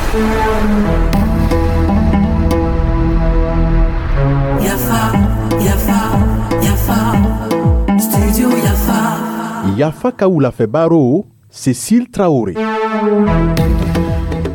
Yafa, Yafa, Yafa, Studio Yafa. Yafa ka wulafɛ baro, Cécile Traoré.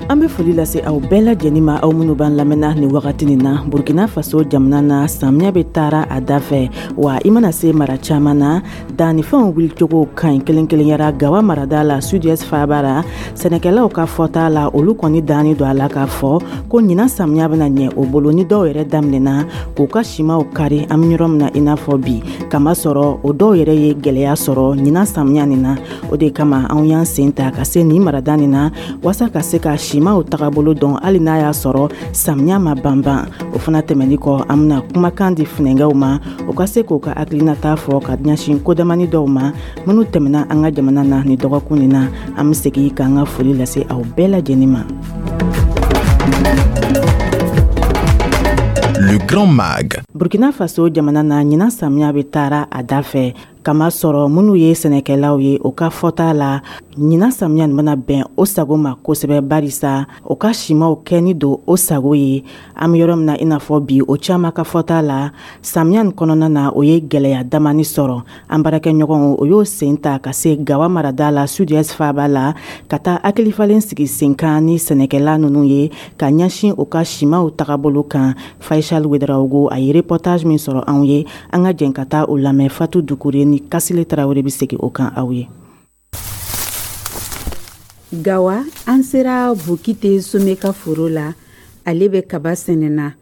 An bɛ foli lase aw bɛɛ lajɛlen ma, aw minnu b'an lamɛnna nin wagati nin na. Burkina Faso jamana na, samiya bɛ taara a da fɛ wa, i mana se mara caman na, dannifɛnw wulicogo ka ɲi kelen kelenyara. Gawa marada la, Sud-Est faaba la, sɛnɛkɛlaw ka fɔta la, olu kɔni danni don a la k'a fɔ ko ɲinan samiya bɛna ɲɛ o bolo, ni dɔw yɛrɛ daminɛna k'u ka simaw kari. An bɛ yɔrɔ min na i n'a fɔ bi, kamasɔrɔ o dɔw yɛrɛ ye gwɛlɛya sɔrɔ ɲinan samiya nin na. O de kama anw y'an sen ta ka se nin marada nin na waasa ka se ka simaw tagabolo dɔn, hali n'a y'a sɔrɔ samiya ma banban. O fana tɛmɛni kɔ, an bena kumakan di funɛngɛw ma, o ka se k'o ka hakilinata fɔ ka ɲɛsin kodamani dɔw ma minnu tɛmɛna an ka jamana na ni dɔgɔkun nin na. An be segi k'an ka foli lase aw bɛɛ lajɛnin ma. Le Grand Mag. Burkina Faso jamana na, ɲinan samiya bɛ taara a da fɛ, kamasɔrɔ minnu ye sɛnɛkɛlaw ye, o ka fɔta la, ɲinan samiya nin bɛna bɛn o sago ma kosɛbɛ, barisa o ka simaw kɛni don o sago ye. An bɛ yɔrɔ min na i n'a fɔ bi, o caman ka fɔta la, samiya nin kɔnɔna na, o ye gwɛlɛya damani sɔrɔ. An baarakɛɲɔgɔnw, o y'o sen ta ka se Gawa marada la, Sud-Est faaba la, ka taa hakilifalen sigi sen kan ni sɛnɛkɛla ninnu ye ka ɲɛsin u ka simaw tagabolo kan. Faisal Ouedraogo, a ye reportage min sɔrɔ anw ye, an ka jɛn ka taa o lamɛn. Fatu Dukure ni Kasile Tarawele bɛ segin o kan aw ye. Gawa, an sera Bokite Some ka foro la. Ale bɛ kaba sɛnɛna.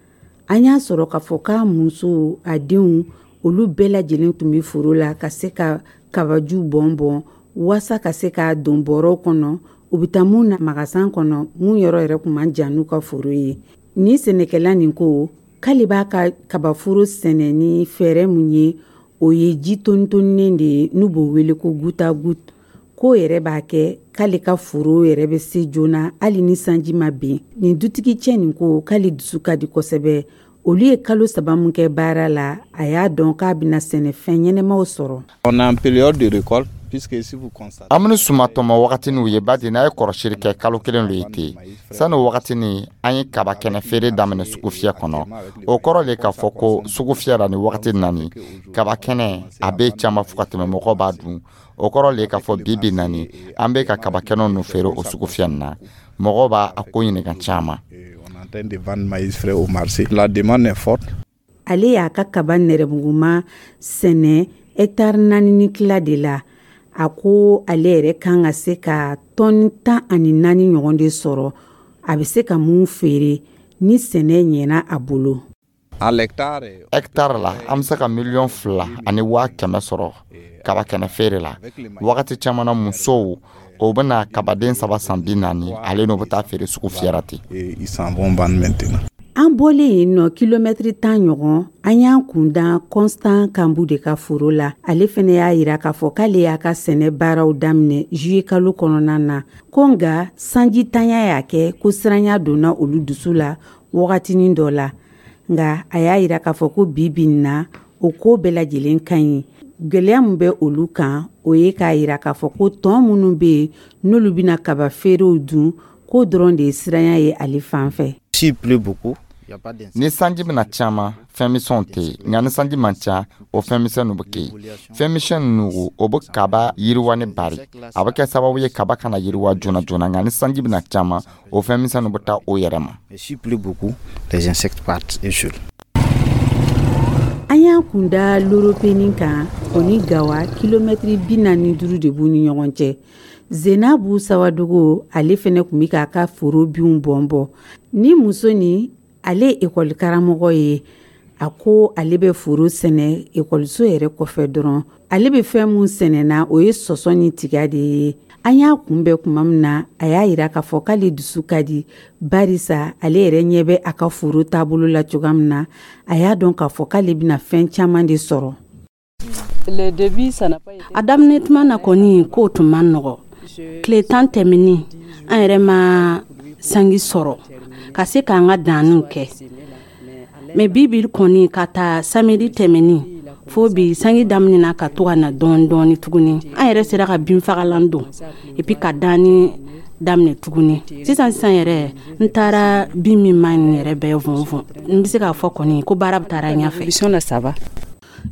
An y'a sɔrɔ k'a fɔ k'a muso, a denw, olu bɛɛ lajɛlen tun bɛ foro la ka se ka kabaju bɔn bɔn waasa ka se k'a don bɔrɔw kɔnɔ, u bɛ taa mun na magasan kɔnɔ, mun yɔrɔ yɛrɛ tun man jan n'u ka foro ye. Ni sɛnɛkɛla nin ko k'ale b'a ka kabaforo sɛnɛ ni fɛɛrɛ mun ye, o ye ji tonitonnen de ye, n'u b'o wele ko goutte à goutte, k'o yɛrɛ b'a kɛ k'ale ka foro yɛrɛ bɛ se joona hali ni sanji ma bin. Nin dutigi cɛ nin ko k'ale dusu ka di kosɛbɛ. Olu ye kalo 3 min kɛ baara la, a y'a dɔn k'a bɛna sɛnɛfɛn ɲɛnɛmaw sɔrɔ. On est en période de récolte, puisque si vous constatez An bɛ suma tɔmɔ wagatiniw ye badi. N'a ye kɔrɔsiri kɛ, kalo 1 lo ye ten. Sani o wagatini, an ye kaba kɛnɛ feere daminɛ sugufiyɛ kɔnɔ. O kɔrɔ le k'a fɔ ko sugufiyɛ la ni wagati nani, kaba kɛnɛ a bɛ caman fo ka tɛmɛ, mɔgɔw b'a dun. O kɔrɔ le k'a fɔ bi bi nani, an bɛ ka kaba kɛnɛ ninnu feere o sugufiyɛ nin na. Mɔgɔw b'a a ko ɲininka caman. On est en train de vendre maïs frais au marché. La demande est forte. Ale y'a ka kaba nɛrɛmuguma sɛnɛ hɛtari 4 ni tila de la. A ko ale yɛrɛ kan ka se ka tɔni 14 ɲɔgɔn de sɔrɔ, a bɛ se ka mun feere ni sɛnɛ ɲɛna a bolo. À l'hectare, Hɛktare la, an bɛ se ka 2,1 miliyɔn sɔrɔ kaba kɛnɛ feere la. Wagati caman na, musow o bɛna kabaden saba san 40, ale n'o bɛ taa feere sugu fiyɛra ten. Et ils s'en vont vendre maintenant. An bɔlen yen nɔ, kilomɛtiri 10 ɲɔgɔn, an y'an kunda Constant Kanbu de ka foro la. Ale fɛnɛ y'a yira k'a fɔ k'ale y'a ka sɛnɛ baaraw daminɛ juillet kalo kɔnɔna na, ko nga sanji tanya y'a kɛ ko siranya donna olu dusu la wagatinin dɔ la. Nga a y'a yira k'a fɔ ko bi bi in na, o ko bɛɛ lajɛlen ka ɲi. Gwɛlɛya min bɛ olu kan, o ye k'a yira k'a fɔ ko tɔn minnu bɛ yen, n'olu bɛna kaba feerew dun, k'o dɔrɔn de ye siranya ye ale fan fɛ. S'il pleut beaucoup, il n'y a pas d'insectes. Ni sanji bɛna caman, fɛn misɛnw tɛ yen, nka ni sanji man ca, o fɛn misɛnninw bɛ kɛ yen. Fɛn misɛn ninnu, o bɛ kaba yiriwa ni bari, a bɛ kɛ sababu ye kaba kana yiriwa joona joona. Nka ni sanji bɛna caman, o fɛn misɛnninw bɛ taa o yɛrɛ ma. Mais s'il pleut beaucoup, les insectes partent et seuls. An y'an kunda Loropenin kan. O ni Gawa, kilomɛtiri 45 de b'u ni ɲɔgɔn cɛ. Zenabu Sawadogo, ale fɛnɛ tun bɛ k'a ka foro binw bɔn bɔ. Ni muso nin, ale ye ekɔli karamɔgɔ ye. A ko ale bɛ foro sɛnɛ ekɔliso yɛrɛ kɔfɛ dɔrɔn. Ale bɛ fɛn mun sɛnɛna, o ye sɔsɔ ni tiga de ye. An y'a kunbɛn tuma min na, a y'a yira k'a fɔ k'ale dusu ka di, barisa ale yɛrɛ ɲɛ bɛ a ka foro taabolo la cogoya min na, a y'a dɔn k'a fɔ k'ale bɛna fɛn caman de sɔrɔ. A daminɛ tuma na kɔni, k'o tun man nɔgɔ. Tile 10 tɛmɛni, an yɛrɛ ma sanji sɔrɔ ka se k'an ka danniw kɛ. Mais bi bi kɔni, ka taa samedi tɛmɛni fo bi, sanji daminɛna ka to ka na dɔɔni dɔɔni tuguni. An yɛrɛ sera ka binfagalan don et puis ka danni daminɛ tuguni. Sisan sisan yɛrɛ, n taara bin min ma ɲi yɛrɛ bɛɛ vɔnvɔn. N bɛ se k'a fɔ kɔni ko baara bɛ taara ɲɛfɛ.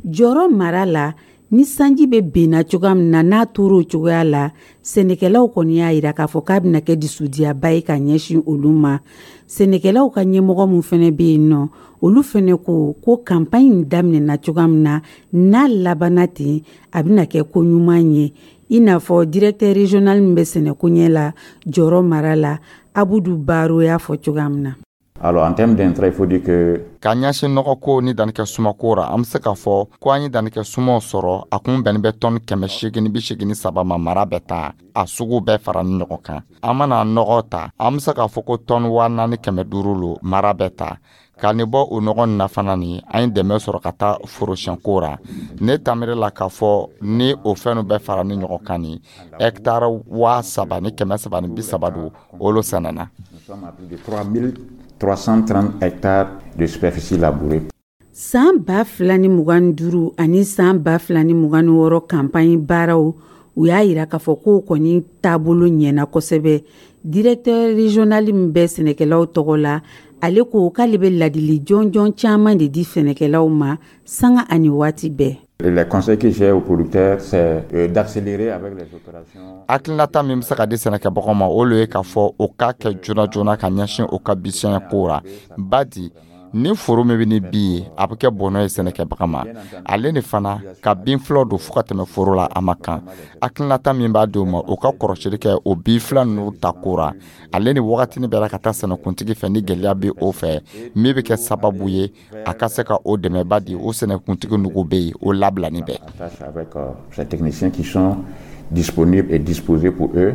Jɔrɔ mara la, ni sanji bɛ benna cogoya min na, n'a tor'o cogoya la, sɛnɛkɛlaw kɔni y'a yira k'a fɔ k'a bɛna kɛ dusudiyaba ye ka ɲɛsin olu ma. Sɛnɛkɛlaw ka ɲɛmɔgɔ min fana bɛ yen nɔ, olu fana ko ko kanpaɲi in daminɛna cogoya min na, n'a labanna ten, a bɛna kɛ ko ɲuman ye. I n'a fɔ directeur régional min bɛ sɛnɛko ɲɛ la Jɔrɔ mara la, Abudu Baro y'a fɔ cogoya min na. Alors, en termes d'intrants, il faut dire que Ka ɲɛsin nɔgɔko ni dannikɛ sumako ra, an be se k'a fɔ ko an ye dannikɛ sumaw sɔrɔ, a kun bɛnni bɛ tɔni 883 ma mara bɛɛ ta, a sugu bɛɛ fara ni ɲɔgɔn kan. An mana nɔgɔ ta, an be se k'a fɔ ko tɔni 4500 lo mara bɛɛ ta. Ka nin bɔ o nɔgɔ nin na fana, ni an ye dɛmɛ sɔrɔ ka taa forosiyɛnko ra, ne tamiri la k'a fɔ ni o fɛn nu bɛɛ fara ni ɲɔgɔn kan, ni hɛktare 3330 don, olu sɛnɛna. Nous sommes à plus de 3330 hectares de superficie labourée. San 2025 ani san 2026 kanpaɲi baaraw, u y'a yira k'a fɔ k'o kɔni taabolo ɲɛna kosɛbɛ. Directeur régional min bɛ sɛnɛkɛlaw tɔgɔ la, ale ko k'ale bɛ ladili jɔnjɔn caman de di sɛnɛkɛlaw ma sanga ani waati bɛɛ. Les conseils que j'ai aux producteurs, c'est d'accélérer avec les opérations. Hakilinata min bɛ se ka di sɛnɛkɛbagaw ma, o le ye k'a fɔ o k'a kɛ joona joona ka ɲɛsin o ka bisiyɛn ko ra, badi ni foro min bɛ ni bin ye, a bɛ kɛ bɔnɛ ye sɛnɛkɛbaga ma. Ale ni fana ka bin fila don fo ka tɛmɛ foro la, a ma kan. Hakilinata min b'a di o ma, o ka kɔrɔsili kɛ o bin fila ninnu ta ko ra, ale ni wagatini bɛɛ la ka taa sɛnɛkuntigi fɛ ni gɛlɛya bɛ o fɛ, min bɛ kɛ sababu ye a ka se ka o dɛmɛba di o sɛnɛkuntigi nugu bɛ yen, o labilani bɛɛ. Avec ces techniciens qui sont disponibles et disposés pour eux.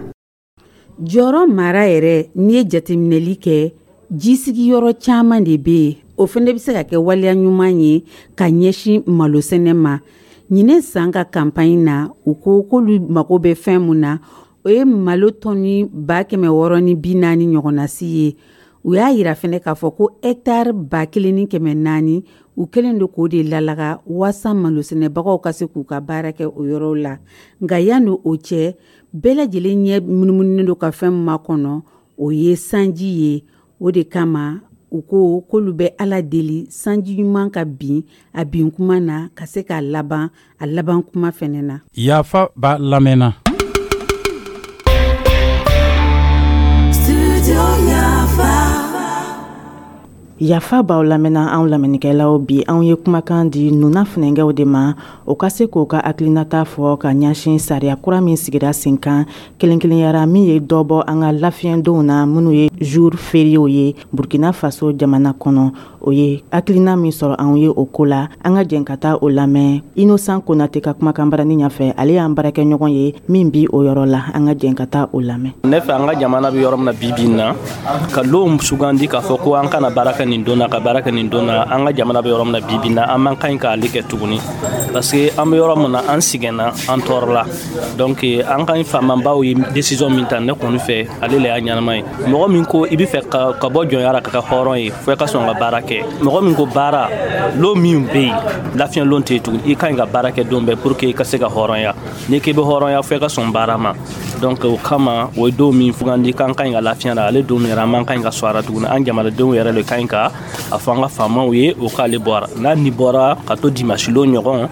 Jɔrɔ mara yɛrɛ, n'i ye jateminɛli kɛ, jisigiyɔrɔ caman de bɛ yen. O fana bɛ se ka kɛ waleya ɲuman ye ka ɲɛsin malosɛnɛ ma. Ɲinɛ san ka kanpaɲi na, u ko k'olu mago bɛ fɛn mun na, o ye malo tɔni 640,000 ɲɔgɔnnasi ye. U y'a yira fɛnɛ k'a fɔ ko hɛtari 1400, u kɛlen don k'o de lalaga waasa malosɛnɛbagaw ka se k'u ka baara kɛ o yɔrɔw la. Nka yanni o cɛ, bɛɛ lajɛlen ɲɛ munumununen don ka fɛn min makɔnɔ, o ye sanji ye. O de kama u ko k'olu bɛ Ala deli sanji ɲuman ka bin a bin kuma na, ka se k'a laban a laban kuma fɛnɛ na. Yafa b'a lamɛnna. Studio Yafa. Yafa b'aw lamɛnna, anw lamɛnnikɛlaw. Bi, anw ye kumakan di nuna funɛnkɛw de ma, o ka se k'o ka hakilinata fɔ ka ɲɛsin sariya kura min sigira sen kan kelen kelenyara, min ye dɔ bɔ an ka lafiyɛndenw na, minnu ye jour fériéw ye Burkina Faso jamana kɔnɔ. O ye hakilina min sɔrɔ anw ye o ko la, an ka jɛn ka taa o lamɛn Innocent Konate ka kumakan barani ɲɛfɛ. Ale y'an baarakɛɲɔgɔn ye min bi o yɔrɔ la. An ka jɛn ka taa o lamɛn. Ne fɛ, an ka jamana bɛ yɔrɔ min na bi bi in na, ka lon sugandi k'a fɔ ko an kana baara kɛ nin don na, ka baara kɛ nin don na, an ka jamana bɛ yɔrɔ min na bi bi in na, an man kan k'ale kɛ tuguni, parce que an bɛ yɔrɔ min na, an sɛgɛnna, an tɔɔrɔla. Donc an ka faamabaw ye décision min ta, ne kɔni fɛ, ale le y'a ɲɛnama ye. Mɔgɔ min ko i bɛ fɛ ka bɔ jɔnya la ka kɛ hɔrɔn ye, fo i ka sɔn ka baara kɛ. Mɔgɔ min ko baara lon min bɛ yen, lafiɲɛ lon tɛ yen tuguni, i ka ɲi ka baara kɛ don bɛɛ pour que i ka se ka hɔrɔnya. N'i k'i bɛ hɔrɔnya, fo i ka sɔn baara ma. Donc o kama, o ye don min sugandi k'an ka ɲi ka lafiɲɛ la, ale don min yɛrɛ, an man ka ɲi ka sɔn a la tuguni. An jamanadenw yɛrɛ de ka ɲi ka a fɔ an ka faamaw ye o k'ale bɔra n'a ni bɔra ka to dimanche lon ɲɔgɔn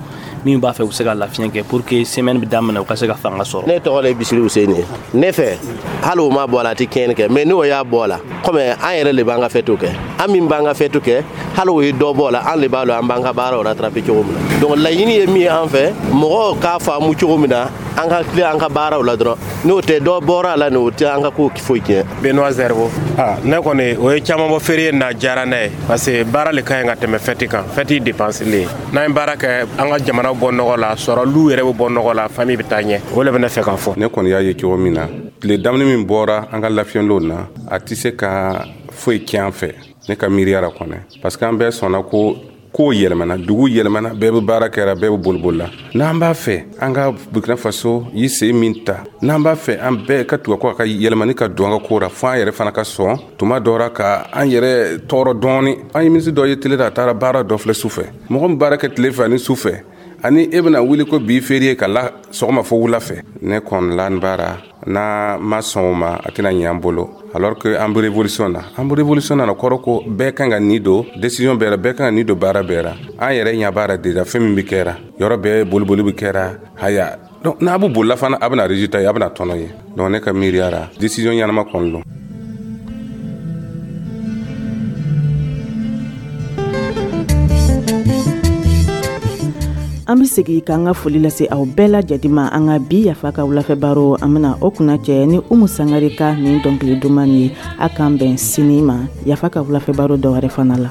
min b'a fɛ u bɛ se ka lafiɲɛ kɛ pour que semaine bɛ daminɛ, u ka se ka fanga sɔrɔ. Ne tɔgɔ de Bisiri Useni ye. Ne fɛ, hali o ma bɔ a la, a tɛ tiɲɛni kɛ, mais n'o y'a bɔ a la, komi an yɛrɛ de b'an ka fɛtiw kɛ, an min b'an ka fɛtiw kɛ, hali o ye dɔ bɔ a la, an de b'a dɔn an b'an ka baaraw rattraper cogo min na. Donc laɲini ye min ye an fɛ, mɔgɔw k'a faamu cogo min na, an ka tile an ka baaraw la dɔrɔn. N'o tɛ, dɔ bɔra a la, n'o tɛ an ka ko foyi tiɲɛ. Benoît Zerbo. Ah, ne kɔni, o ye caman bɔ férié na, diyara ne ye, parce que baara le ka ɲi ka tɛmɛ fɛti kan. Fɛti dépense le ye. N'an ye baara kɛ, an ka jamana bɔ nɔgɔ la, sɔrɔlu yɛrɛ bɛ bɔ nɔgɔ la, famille bɛ taa ɲɛ. O le bɛ ne fɛ k'a fɔ. Ne kɔni y'a ye cogo min na, tile daminɛ min bɔra an ka lafiyɛnlenw na, a tɛ se ka foyi tiɲɛ an fɛ, ne ka miiriya la kɔnɛ, parce que an bɛɛ sɔnna ko kow yɛlɛmana, dugu yɛlɛmana, bɛɛ bɛ baara kɛra, bɛɛ bɛ boliboli la. N'an b'a fɛ an ka Burkina Faso yi sen min ta, n'an b'a fɛ an bɛɛ ka tugu a ka yɛlɛmani ka don an ka ko ra, fo an yɛrɛ fana ka sɔn tuma dɔ ra ka an yɛrɛ tɔɔrɔ dɔɔni. An ye minisiri dɔ ye tele la, a taara baara dɔ filɛ su fɛ. Mɔgɔ min baara kɛ tile fɛ ani su fɛ, Ani e bɛna wuli ko bi férié ka la sɔgɔma fo wula fɛ, ne kɔni la baara n'a ma sɔn o ma, a tɛna ɲɛ an bolo, alors que an bɛ révolution na. An bɛ révolution na, kɔrɔ ko bɛɛ kan ka nin don décision bɛɛ la, bɛɛ kan ka nin don baara bɛɛ la. An yɛrɛ ɲɛ b'a la déjà, fɛn min bɛ kɛra yɔrɔ bɛɛ, boliboli bɛ kɛra haya. Donc n'a bɛ bolila fana, a bɛna résultat ye, a bɛna tɔnɔ ye. Donc ne ka miiriya la, décision ɲɛnama kɔni don. An be segi k'an ka foli lase aw bɛɛ lajɛden ma. An ka bi Yafa ka wulafɛ baro, an bena o kunna cɛ ni Umu Sangare ka nin dɔnkili duman ye. A k'an bɛn sini ma Yafa ka wulafɛ baro dɔwɛrɛ fana la.